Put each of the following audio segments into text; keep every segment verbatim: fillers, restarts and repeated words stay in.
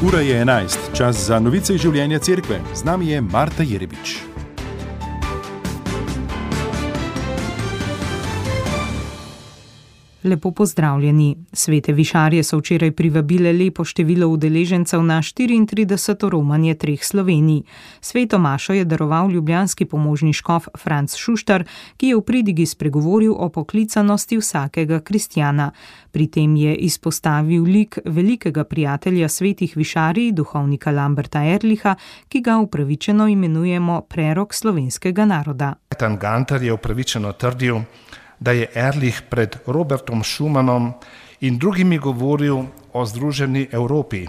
Ura je enajst, čas za novice iz življenja cerkve. Z nami je Marta Jerebič. Lepo pozdravljeni. Svete višarje so včeraj privabile lepo število udeležencev na štiriintrideseto romanje treh Slovenij. Sveto mašo je daroval ljubljanski pomožni škof Franc Šuštar, ki je v pridigi spregovoril o poklicanosti vsakega kristjana. Pri tem je izpostavil lik velikega prijatelja svetih višarij, duhovnika Lamberta Erlicha, ki ga upravičeno imenujemo prerok slovenskega naroda. Tan Gantar je upravičeno trdil, da je Erlich pred Robertom Schumannom in drugimi govoril o združeni Evropi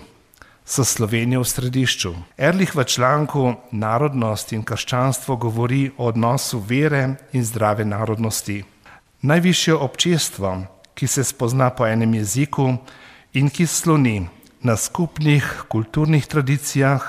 s Slovenijo v središču. Erlich v članku Narodnost in krščanstvo govori o odnosu vere in zdrave narodnosti. Najvišje občestvo, ki se spozna po enem jeziku in ki sloni na skupnih kulturnih tradicijah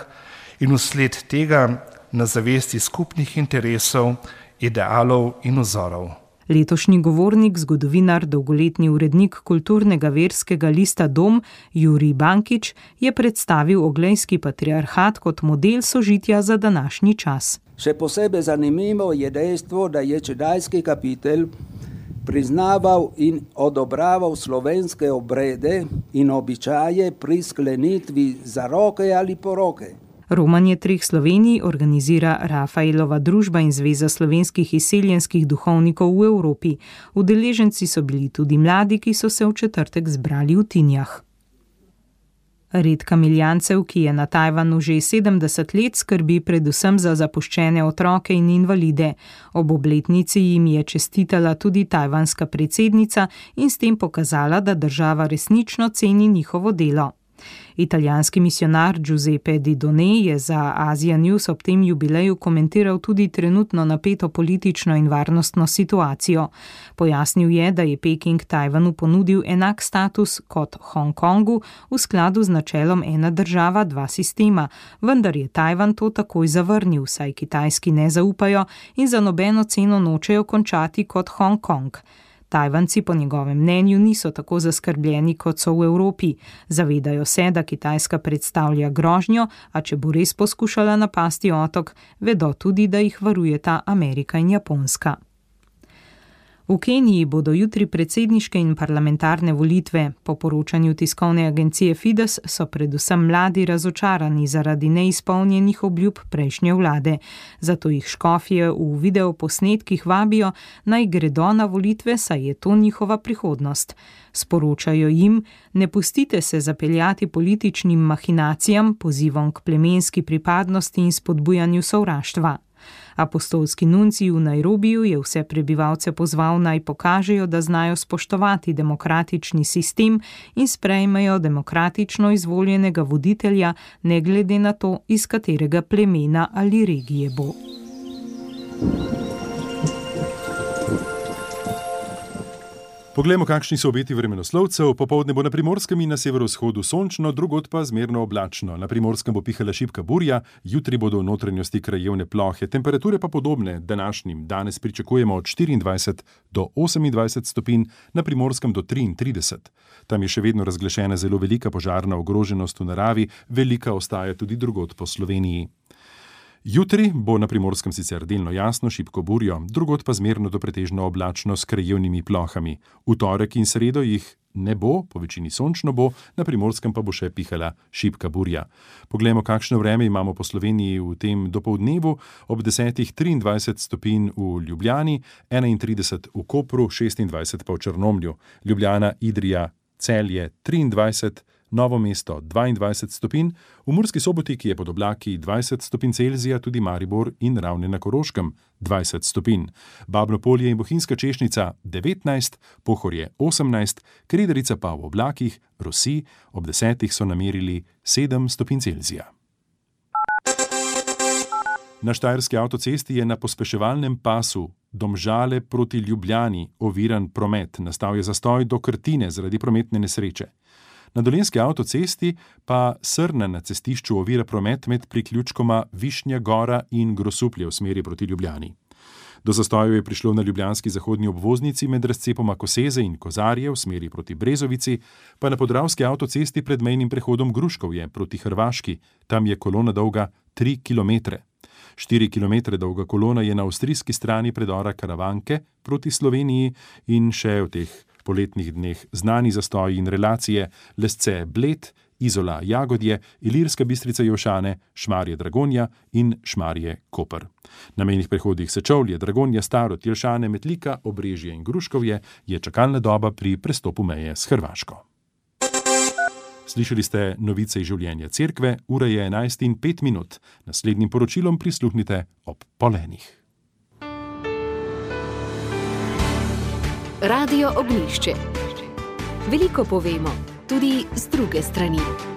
in vsled tega na zavesti skupnih interesov, idealov in vzorov. Letošnji govornik, zgodovinar, dolgoletni urednik kulturnega verskega lista Dom, Jurij Bankič, je predstavil Oglejski patriarhat kot model sožitja za današnji čas. Še posebej zanimivo je dejstvo, da je čedajski kapitelj priznaval in odobraval slovenske obrede in običaje pri sklenitvi zaroke ali poroke. Romanje treh Slovenij organizira Rafaelova družba in Zveza slovenskih izseljenskih duhovnikov v Evropi. Udeleženci so bili tudi mladi, ki so se v četrtek zbrali v Tinjah. Red kamiljancev, ki je na Tajvanu že sedemdeset let, skrbi predvsem za zapuščene otroke in invalide. Ob obletnici jim je čestitala tudi tajvanska predsednica in s tem pokazala, da država resnično ceni njihovo delo. Italijanski misionar Giuseppe Di Donne je za Asia News ob tem jubileju komentiral tudi trenutno napeto politično in varnostno situacijo. Pojasnil je, da je Peking Tajvanu ponudil enak status kot Hongkongu v skladu z načelom ena država, dva sistema, vendar je Tajvan to takoj zavrnil, saj Kitajski ne zaupajo in za nobeno ceno nočejo končati kot Hongkong. Tajvanci po njegovem mnenju niso tako zaskrbljeni, kot so v Evropi. Zavedajo se, da Kitajska predstavlja grožnjo, a če bo res poskušala napasti otok, vedo tudi, da jih varujeta Amerika in Japonska. V Keniji bodo jutri predsedniške in parlamentarne volitve. Po poročanju tiskovne agencije Fides so predvsem mladi razočarani zaradi neizpolnjenih obljub prejšnje vlade. Zato jih škofje v videoposnetkih vabijo, naj gredo na volitve, saj je to njihova prihodnost. Sporočajo jim, ne pustite se zapeljati političnim mahinacijam, pozivom k plemenski pripadnosti in spodbujanju sovraštva. Apostolski nuncij v Nairobiju je vse prebivalce pozval, naj pokažejo, da znajo spoštovati demokratični sistem in sprejmejo demokratično izvoljenega voditelja, ne glede na to, iz katerega plemena ali regije bo. Poglejmo, kakšni so obeti vremenoslovcev. Popoldne bo na Primorskem in na severovzhodu sončno, drugod pa zmerno oblačno. Na Primorskem bo pihala šibka burja, jutri bodo v notranjosti krajevne plohe, temperature pa podobne današnjim. Danes pričakujemo od štiriindvajset do osemindvajset stopinj, na Primorskem do triintrideset. Tam je še vedno razglašena zelo velika požarna ogroženost v naravi, velika ostaja tudi drugod po Sloveniji. Jutri bo na Primorskem sicer delno jasno, šibko burjo, drugod pa zmerno do pretežno oblačno s krajevnimi plohami. V torek in sredo jih ne bo, po večini sončno bo, na Primorskem pa bo še pihala šibka burja. Poglejmo, kakšno vreme imamo po Sloveniji v tem dopoldnevu. Ob desetih triindvajset stopinj v Ljubljani, enaintrideset v Kopru, šestindvajset pa v Črnomlju. Ljubljana, Idrija, Celje triindvajset, Novo mesto dvaindvajset stopinj, v Murski Soboti, ki je pod oblaki dvajset stopinj Celzija, tudi Maribor in Ravne na Koroškem dvajset stopinj. Babno Polje in Bohinjska Češnica devetnajst, Pohorje osemnajst, Krederica pa v oblakih, rosi, ob desetih so namerili sedem stopinj Celzija. Na štajerski avtocesti je na pospeševalnem pasu Domžale proti Ljubljani oviran promet. Nastal je zastoj do Krtine zaradi prometne nesreče. Na dolenjski avtocesti pa Srna na cestišču ovira promet med priključkoma Višnja Gora in Grosuplje v smeri proti Ljubljani. Do zastojev je prišlo na ljubljanski zahodni obvoznici med razcepoma Koseze in Kozarje v smeri proti Brezovici, pa na podravski avtocesti pred mejnim prehodom Gruškovje proti Hrvaški. Tam je kolona dolga tri kilometre. Štiri kilometre dolga kolona je na avstrijski strani predora Karavanke proti Sloveniji in še v teh poletnih dneh znani zastoji in relacije Lesce Bled, Izola Jagodje, Ilirska Bistrica Jelšane, Šmarje Dragonja in Šmarje Koper. Na mejnih prehodih Sečovlje, Dragonja, Starod, Jelšane, Metlika, Obrežje in Gruškovje je čakalna doba pri prestopu meje s Hrvaško. Slišali ste novice iz življenja cerkve, ura je enajst in pet minut. Naslednjim poročilom prisluhnite ob pol enih. Radio Ognjišče. Veliko povemo, tudi z druge strani.